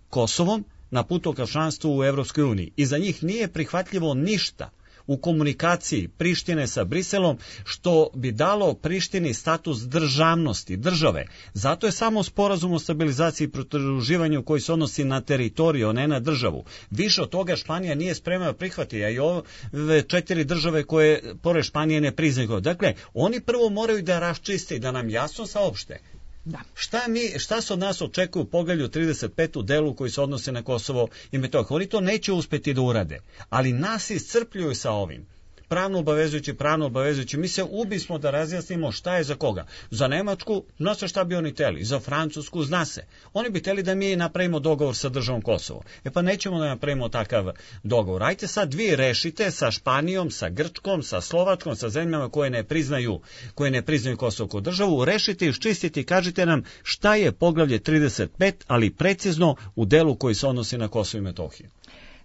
Kosovom na putu ka članstvu u Evropskoj uniji. I za njih nije prihvatljivo ništa u komunikaciji Prištine sa Briselom što bi dalo Prištini status državnosti, države. Zato je samo sporazum o stabilizaciji i pridruživanju koji se odnosi na teritoriju, ne na državu. Više od toga Španija nije spremna da prihvati, a i ove četiri države koje pored Španije ne priznaju. Dakle, oni prvo moraju da raščiste i da nam jasno saopšte. Da. Šta, mi, šta se od nas očekuje u poglavlju trideset pet u delu koji se odnose na Kosovo i Metohiju? Oni to neće uspeti da urade, ali nas iscrpljuju sa ovim. Pravno obavezujući, pravno obavezujući. Mi se ubismo da razjasnimo šta je za koga. Za Nemačku, zna se šta bi oni teli. Za Francusku, zna se. Oni bi teli da mi napravimo dogovor sa državom Kosovo. E pa nećemo da napravimo takav dogovor. Ajte sad vi rešite sa Španijom, sa Grčkom, sa Slovačkom, sa zemljama koje ne priznaju, koje ne priznaju Kosovo kao državu. Rešite, iščistite i kažite nam šta je poglavlje trideset pet, ali precizno u delu koji se odnosi na Kosovo i Metohiju.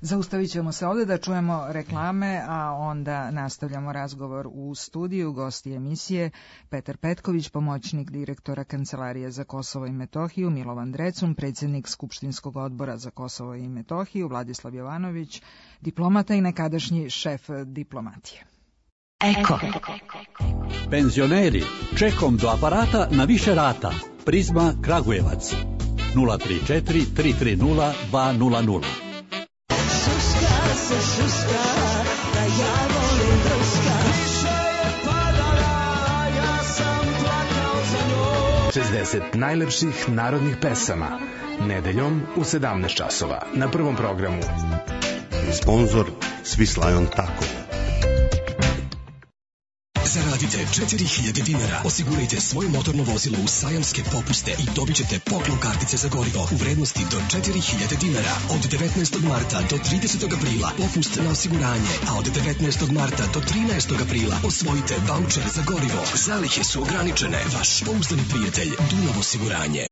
Zaustavit ćemo se ovdje da čujemo reklame, a onda nastavljamo razgovor u studiju. Gosti emisije Petar Petković, pomoćnik direktora Kancelarije za Kosovo i Metohiju, Milovan Drecun, predsjednik Skupštinskog odbora za Kosovo i Metohiju, Vladislav Jovanović, diplomata i nekadašnji šef diplomatije. Eko. Penzioneri, čekom do aparata na više rata. Prizma Kragujevac. nula tri četiri tri tri nula dva nula nula. Se šuska, da ja volim drska. Više je padala, ja sam plakao za njom. šezdeset najlepših narodnih pesama. Nedeljom u sedamnaest časova na Prvom programu. Sponzor Swiss Tako. Zaradite četiri hiljade dinara, osigurajte svoje motorno vozilo u sajamske popuste i dobit ćete poklon kartice za gorivo u vrednosti do četiri hiljade dinara. Od devetnaestog marta do tridesetog aprila popust na osiguranje, a od devetnaestog marta do trinaestog aprila osvojite vaučer za gorivo. Zalihe su ograničene. Vaš pouzdani prijatelj Dunav osiguranje.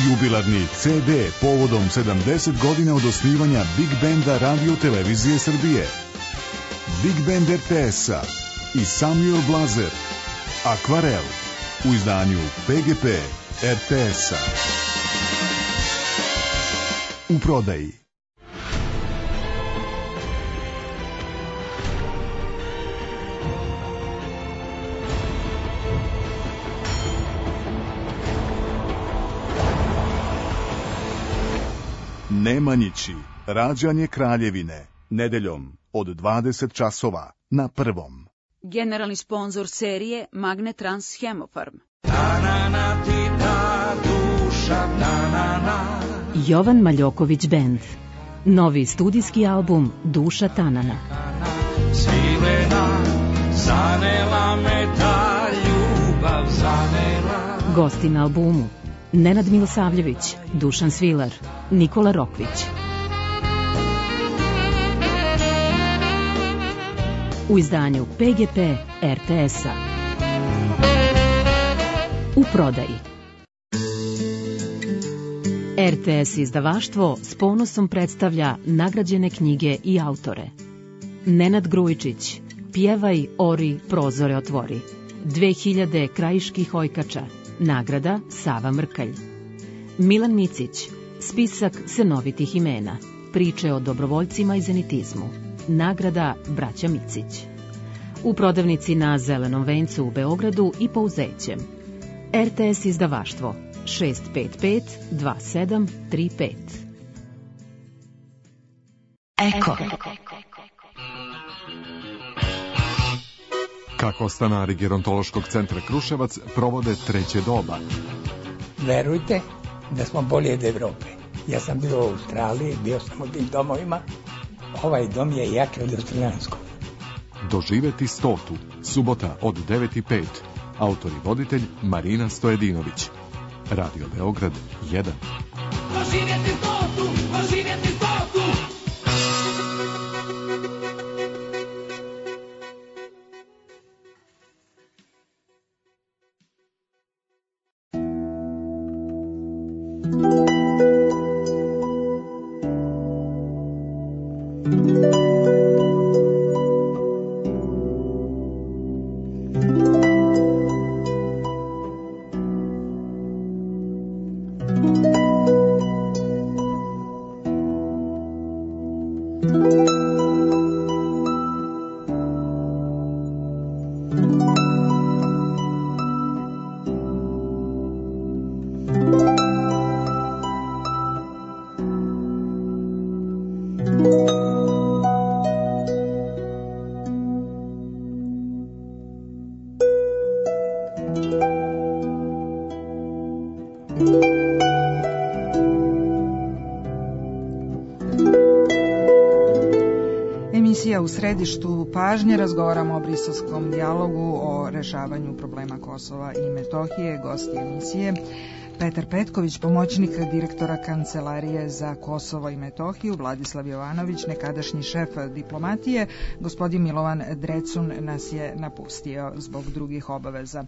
Jubilarni ce de povodom sedamdeset godina od osnivanja Big Benda Radio Televizije Srbije. Big Band er te es-a i Samuel Blazer, Akvarel, u izdanju pe ge pe er te es-a. U prodaji. Nemanjići, rađanje Kraljevine, nedeljom od dvadeset časova na Prvom. Generalni sponzor serije Magnetrans Hemofarm. Jovan Maljoković Band. Novi studijski album Duša Tanana. Svilena, zanela me ta ljubav, zanela. Gosti na albumu Nenad Milosavljević, Dušan Svilar, Nikola Rokvić. U izdanju P G P R T S-a. U prodaji. R T S izdavaštvo s ponosom predstavlja nagrađene knjige i autore. Nenad Grujičić, Pjevaj, ori, prozore otvori. dve hiljade krajiških ojkača. Nagrada Sava Mrkalj. Milan Micić, Spisak senovitih imena. Priče o dobrovoljcima i zenitizmu. Nagrada Braća Micić. U prodavnici na Zelenom vencu u Beogradu i Pouzećem. R T S izdavaštvo šest pet pet dva sedam tri pet. Eko. Kako stanari gerontološkog centra Kruševac provode treće doba? Verujte da smo bolje od Evrope. Ja sam bio u Australiji, bio sam u tim domovima. Ovaj dom je jači od australijanskog. Doživeti stotu, subota od devet i pet. Autor i voditelj Marina Stojedinović. Radio Beograd jedan. Doživjeti stotu, doživjeti stotu. U središtu pažnje razgovaramo o briselskom dijalogu o rešavanju problema Kosova i Metohije. Gosti emisije Petar Petković, pomoćnik direktora Kancelarije za Kosovo i Metohiju, Vladislav Jovanović, nekadašnji šef diplomatije, gospodin Milovan Drecun nas je napustio zbog drugih obaveza.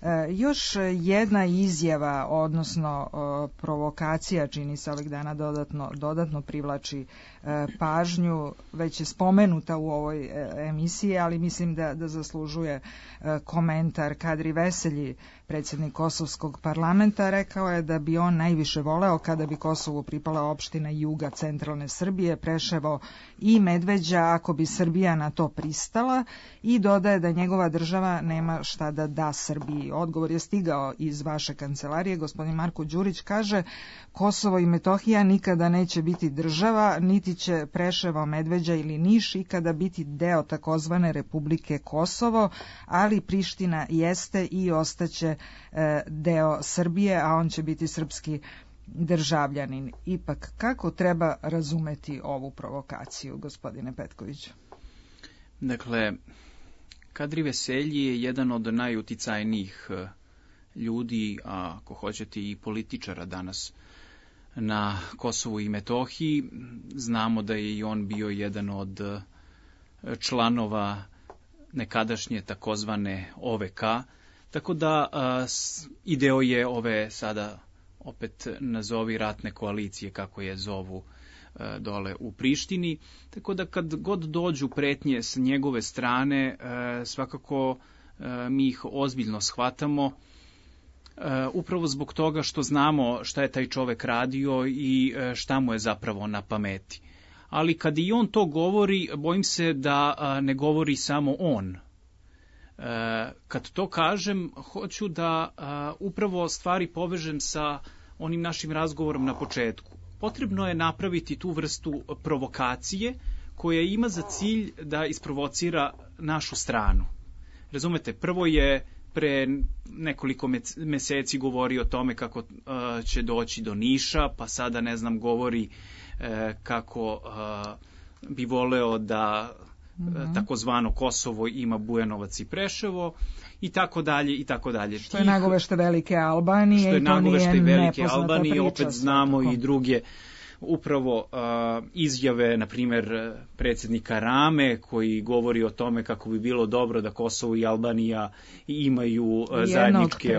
E, još jedna izjava, odnosno o, provokacija, čini se ovih dana dodatno, dodatno privlači e, pažnju, već je spomenuta u ovoj e, emisiji, ali mislim da, da zaslužuje e, komentar. Kadri Veselji, predsjednik Kosovskog parlamenta, rekao je da bi on najviše voleo kada bi Kosovu pripala opština juga centralne Srbije, Preševo i Medveđa, ako bi Srbija na to pristala, i dodaje da njegova država nema šta da da Srbiji. Odgovor je stigao iz vaše kancelarije. Gospodin Marko Đurić kaže: Kosovo i Metohija nikada neće biti država, niti će Preševo, Medveđa ili Niš ikada biti deo takozvane Republike Kosovo, ali Priština jeste i ostaće e, deo Srbije, a on će biti srpski državljanin. Ipak, kako treba razumeti ovu provokaciju, gospodine Petkoviću? Dakle, Kadri Veselji je jedan od najuticajnijih ljudi, a ako hoćete i političara danas na Kosovu i Metohiji. Znamo da je i on bio jedan od članova nekadašnje takozvane O V K, tako da a, ideo je ove sada opet nazovi ratne koalicije, kako je zovu a, dole u Prištini, tako da kad god dođu pretnje s njegove strane, a, svakako a, mi ih ozbiljno shvatamo, a, upravo zbog toga što znamo šta je taj čovek radio i a, šta mu je zapravo na pameti. Ali kad i on to govori, bojim se da a, ne govori samo on. E, kad to kažem, hoću da a, upravo stvari povežem sa onim našim razgovorom na početku. Potrebno je napraviti tu vrstu provokacije koja ima za cilj da isprovocira našu stranu. Razumete, prvo je pre nekoliko meseci govori o tome kako uh, će doći do Niša, pa sada, ne znam, govori uh, kako uh, bi voleo da mm-hmm. takozvano Kosovo ima Bujanovac i Preševo i tako dalje i tako dalje. Što je nagovešte Velike Albanije, što je i to nagovešte nije Velike nepoznata Albanije, priča, opet znamo tako. I druge upravo uh, izjave, na primjer, predsjednika Rame, koji govori o tome kako bi bilo dobro da Kosovo i Albanija imaju uh, zajedničke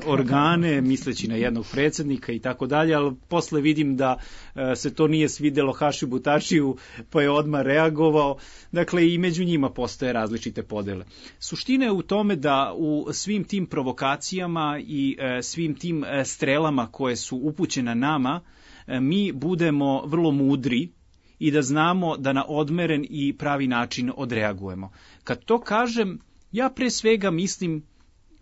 organe, misleći na jednog predsjednika i tako dalje, ali posle vidim da uh, se to nije svidelo Hašibu Tačiju, pa je odmah reagovao. Dakle, i među njima postoje različite podele. Suština je u tome da u svim tim provokacijama i uh, svim tim uh, strelama koje su upućene nama, mi budemo vrlo mudri i da znamo da na odmeren i pravi način odreagujemo. Kad to kažem, ja pre svega mislim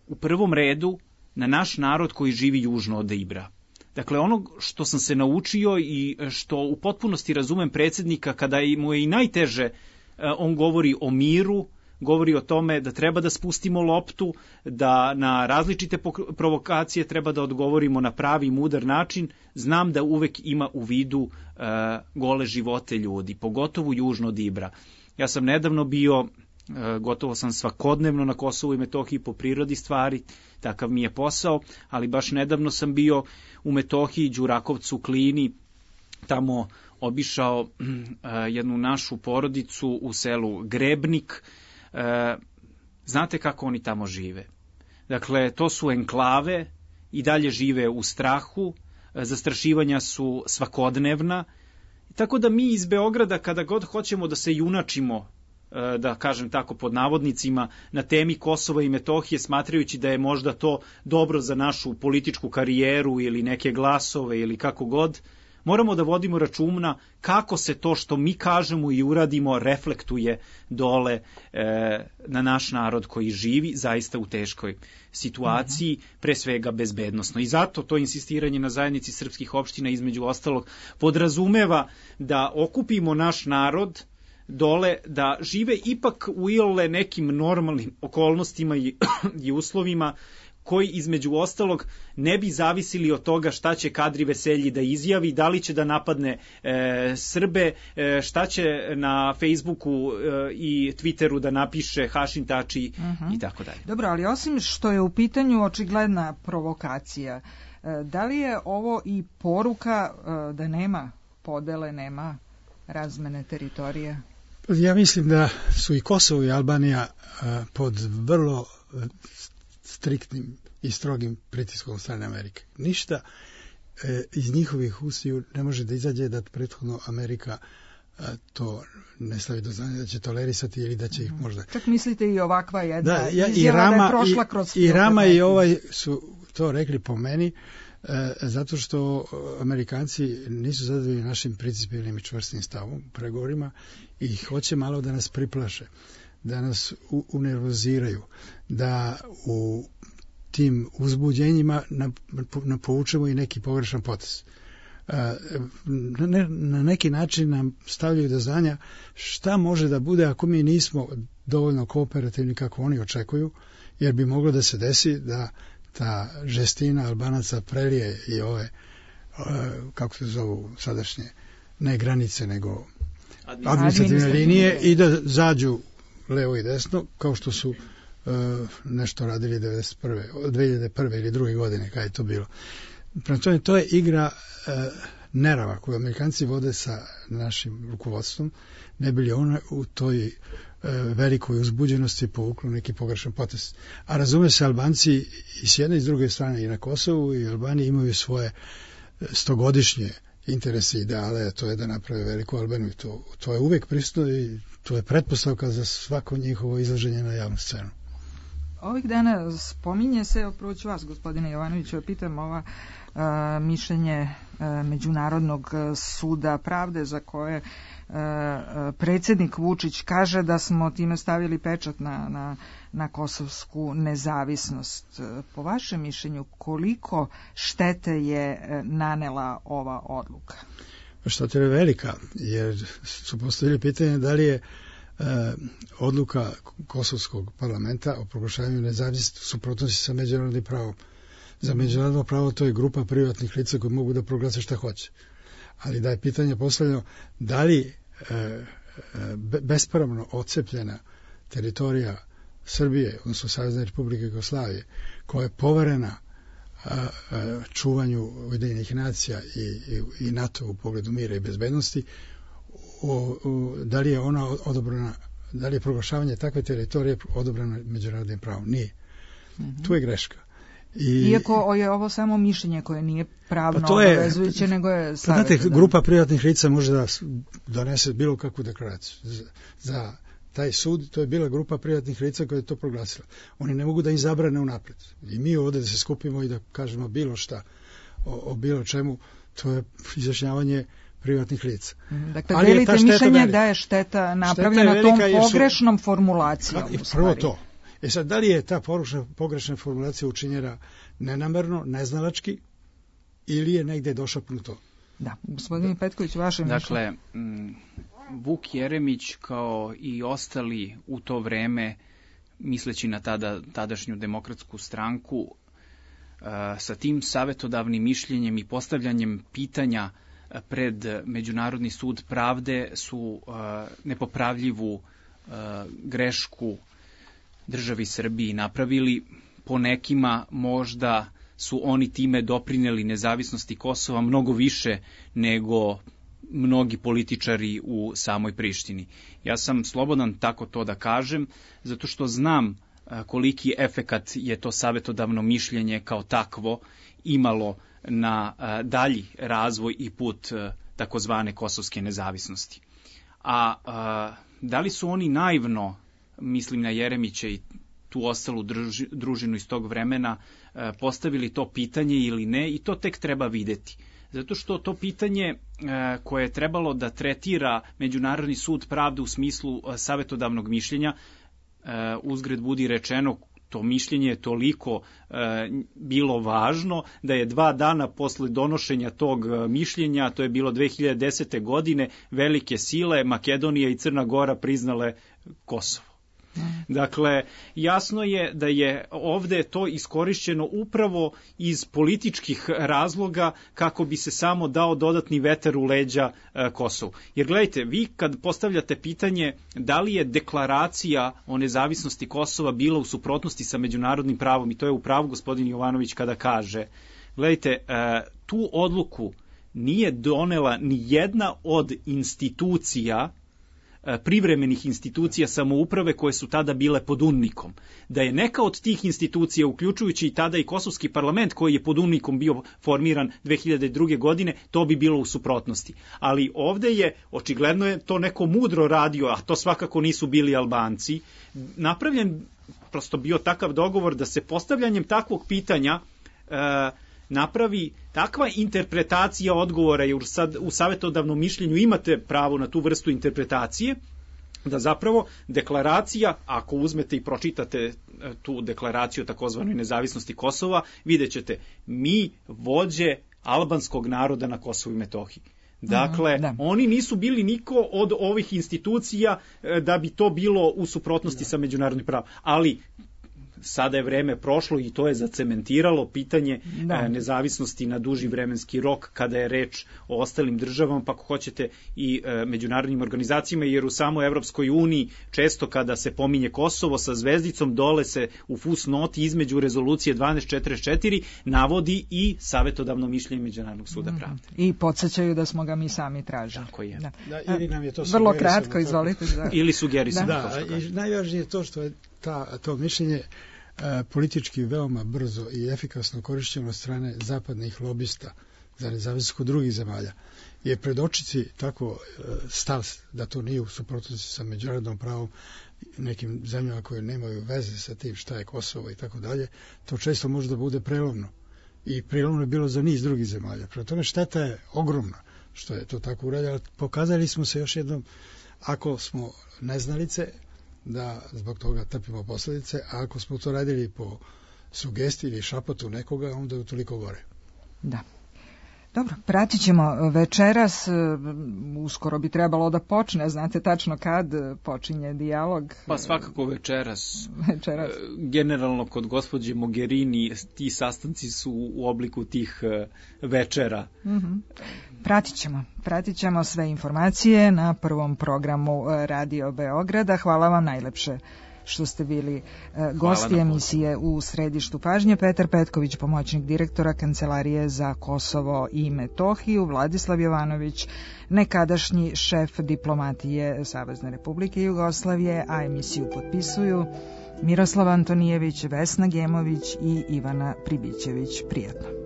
u prvom redu na naš narod koji živi južno od Ibra. Dakle, ono što sam se naučio i što u potpunosti razumem predsjednika, kada mu je i najteže, on govori o miru, govori o tome da treba da spustimo loptu, da na različite provokacije treba da odgovorimo na pravi i mudar način. Znam da uvek ima u vidu uh, gole živote ljudi, pogotovo južno od Ibra. Ja sam nedavno bio, uh, gotovo sam svakodnevno na Kosovu i Metohiji po prirodi stvari, takav mi je posao, ali baš nedavno sam bio u Metohiji, Đurakovcu, Klini, tamo obišao uh, jednu našu porodicu u selu Grebnik. E, znate kako oni tamo žive. Dakle, to su enklave, i dalje žive u strahu, e, zastrašivanja su svakodnevna, tako da mi iz Beograda, kada god hoćemo da se junačimo, e, da kažem tako pod navodnicima, na temi Kosova i Metohije, smatrajući da je možda to dobro za našu političku karijeru ili neke glasove ili kako god, moramo da vodimo računa kako se to što mi kažemo i uradimo reflektuje dole e, na naš narod koji živi zaista u teškoj situaciji, pre svega bezbednosno. I zato to insistiranje na zajednici srpskih opština, između ostalog, podrazumeva da okupimo naš narod dole, da žive ipak u iole nekim normalnim okolnostima i, i uslovima, koji između ostalog ne bi zavisili od toga šta će Kadri Veselji da izjavi, da li će da napadne e, Srbe, e, šta će na Facebooku e, i Twitteru da napiše Hašim Tači uh-huh. i tako dalje. Dobro, ali osim što je u pitanju očigledna provokacija, e, da li je ovo i poruka e, da nema podele, nema razmene teritorija? Ja mislim da su i Kosovo i Albanija e, pod vrlo striktnim i strogim pritiskom strane Amerike. Ništa e, iz njihovih ustiju ne može da izađe da prethodno Amerika e, to ne stavi do znanja da će tolerisati ili da će ih možda... Čak mislite i ovakva jedna da, ja, izjava i Rama, da je prošla kroz... I, i Rama i ovaj su to rekli po meni, e, zato što Amerikanci nisu zadovoljni našim principijelnim i čvrstim stavom u pregovorima i hoće malo da nas priplaše, da nas unervoziraju, da u tim uzbuđenjima napovučemo i neki pogrešan potez. Na, ne, na neki način nam stavljaju do znanja šta može da bude ako mi nismo dovoljno kooperativni kako oni očekuju, jer bi moglo da se desi da ta žestina Albanaca prelije i ove, kako se zovu sadašnje, ne granice, nego administrativne linije i da zađu levo i desno, kao što su uh, nešto radili devedeset prve dve hiljade prve ili druge godine, kada je to bilo. Prema tome, to je igra uh, nerava koju Amerikanci vode sa našim rukovodstvom, ne bi li ona u toj uh, velikoj uzbuđenosti povuklo neki pogrešan potez. A razume se, Albanci i s jedne i s druge strane i na Kosovu i Albaniji imaju svoje stogodišnje interese i ideale, a to je da naprave veliku Albaniju. To, to je uvek prisutno i to je pretpostavka za svako njihovo izlaženje na javnu scenu. Ovih dana spominje se, prvo ću vas, gospodine Jovanoviću, pitam ova a, mišljenje a, Međunarodnog suda pravde za koje a, predsjednik Vučić kaže da smo time stavili pečat na, na, na kosovsku nezavisnost. Po vašem mišljenju, koliko štete je nanela ova odluka? Šteta je velika, jer su postavili pitanje da li je odluka Kosovskog parlamenta o proglašavanju nezavisnosti suprotnosti sa međunarodnim pravom. Za međunarodno pravo to je grupa privatnih lica koji mogu da proglase šta hoće. Ali da je pitanje postavljeno da li e, bespravno odcepljena teritorija Srbije, odnosno Savezne Republike Jugoslavije, koja je poverena a, a, čuvanju Ujedinjenih nacija i, i, i NATO u pogledu mira i bezbednosti, o, o, da li je ona odobrena, da li je proglašavanje takve teritorije odobreno međunarodnim pravom? Nije. Mm-hmm. Tu je greška. I, Iako je ovo samo mišljenje koje nije pravno pa obavezujuće, nego je savjet. Znate, grupa privatnih lica može da donese bilo kakvu deklaraciju. Za, za taj sud, to je bila grupa privatnih lica koja je to proglasila. Oni ne mogu da im zabrane unapred. I mi ovdje da se skupimo i da kažemo bilo šta o, o bilo čemu, to je izjašnjavanje privatnih lica. Dakle, ali delite mišljenje da je šteta napravljena šteta tom pogrešnom su, formulacijom. I prvo to. E sad, da li je ta pogrešna, pogrešna formulacija učinjena nenamerno, neznalački, ili je negdje došapnuto? Da, gospodin Petković, vaše dakle, mišljenje. Vuk Jeremić kao i ostali u to vreme, misleći na tada, tadašnju demokratsku stranku, sa tim savjetodavnim mišljenjem i postavljanjem pitanja pred Međunarodni sud pravde su nepopravljivu grešku državi Srbiji napravili. Po nekima možda su oni time doprineli nezavisnosti Kosova mnogo više nego mnogi političari u samoj Prištini. Ja sam slobodan tako to da kažem, zato što znam koliki efekat je to savjetodavno mišljenje kao takvo imalo na dalji razvoj i put takozvane kosovske nezavisnosti. A, a da li su oni naivno, mislim na Jeremića i tu ostalu druži, družinu iz tog vremena, postavili to pitanje ili ne, i to tek treba videti. Zato što to pitanje koje je trebalo da tretira Međunarodni sud pravde u smislu savjetodavnog mišljenja, uzgred budi rečeno, to mišljenje je toliko e, bilo važno da je dva dana posle donošenja tog mišljenja, to je bilo dve hiljade desete. godine, velike sile Makedonija i Crna Gora priznale Kosovo. Dakle, jasno je da je ovdje to iskorišćeno upravo iz političkih razloga kako bi se samo dao dodatni vetar u leđa e, Kosovu. Jer gledajte, vi kad postavljate pitanje da li je deklaracija o nezavisnosti Kosova bila u suprotnosti sa međunarodnim pravom, i to je u pravu gospodin Jovanović kada kaže, gledajte, e, tu odluku nije donela ni jedna od institucija, privremenih institucija samouprave koje su tada bile pod UNMIK-om. Da je neka od tih institucija, uključujući i tada i Kosovski parlament koji je pod UNMIK-om bio formiran dve hiljade druge. godine, to bi bilo u suprotnosti. Ali ovdje je, očigledno je to neko mudro radio, a to svakako nisu bili Albanci, napravljen prosto bio takav dogovor da se postavljanjem takvog pitanja e, napravi takva interpretacija odgovora, jer sad u savjetodavnom mišljenju imate pravo na tu vrstu interpretacije, da zapravo deklaracija, ako uzmete i pročitate tu deklaraciju o takozvanoj nezavisnosti Kosova, vidjet ćete, mi vođe albanskog naroda na Kosovu i Metohiji. Dakle, da. Oni nisu bili niko od ovih institucija da bi to bilo u suprotnosti da. sa međunarodnim pravom. Ali sada je vreme prošlo i to je zacementiralo pitanje da. nezavisnosti na duži vremenski rok kada je reč o ostalim državama, pa ako hoćete i e, međunarodnim organizacijama, jer u samoj Evropskoj uniji često kada se pominje Kosovo sa zvezdicom, dole se u fusnoti između rezolucije dvanaest četrdeset četiri navodi i savjetodavno mišljenje Međunarodnog suda pravde. Mm. I podsjećaju da smo ga mi sami tražili. Tako je. Da. Da, ili nam je to vrlo kratko, izvolite. Da. Ili sugerisano. Da, da, i najvažnije je to što je ta, to mišljenje politički veoma brzo i efikasno korišćeno od strane zapadnih lobista za nezavisnost kod drugih zemalja. Je predočiti tako stav da to nije u suprotnosti sa međunarodnom pravom nekim zemljama koje nemaju veze sa tim šta je Kosovo i tako dalje, to često može da bude prelomno. I prelomno je bilo za niz drugih zemalja. Prema tome šteta je ogromna što je to tako urađeno. Pokazali smo se još jednom, ako smo neznalice, da zbog toga trpimo posljedice, a ako smo to radili po sugestiji ili šapotu nekoga, onda je toliko gore. Da. Dobro, pratit ćemo večeras, uskoro bi trebalo da počne, znate tačno kad počinje dijalog? Pa svakako večeras. Večeras. Generalno kod gospođe Mogherini ti sastanci su u obliku tih večera. Mm-hmm. Pratit ćemo, pratit ćemo sve informacije na prvom programu Radio Beograda. Hvala vam najlepše što ste bili uh, gosti emisije U središtu pažnje. Petar Petković, pomoćnik direktora Kancelarije za Kosovo i Metohiju, Vladislav Jovanović, nekadašnji šef diplomatije Savezne Republike Jugoslavije, a emisiju potpisuju Miroslav Antonijević, Vesna Gemović i Ivana Pribićević. Prijatno.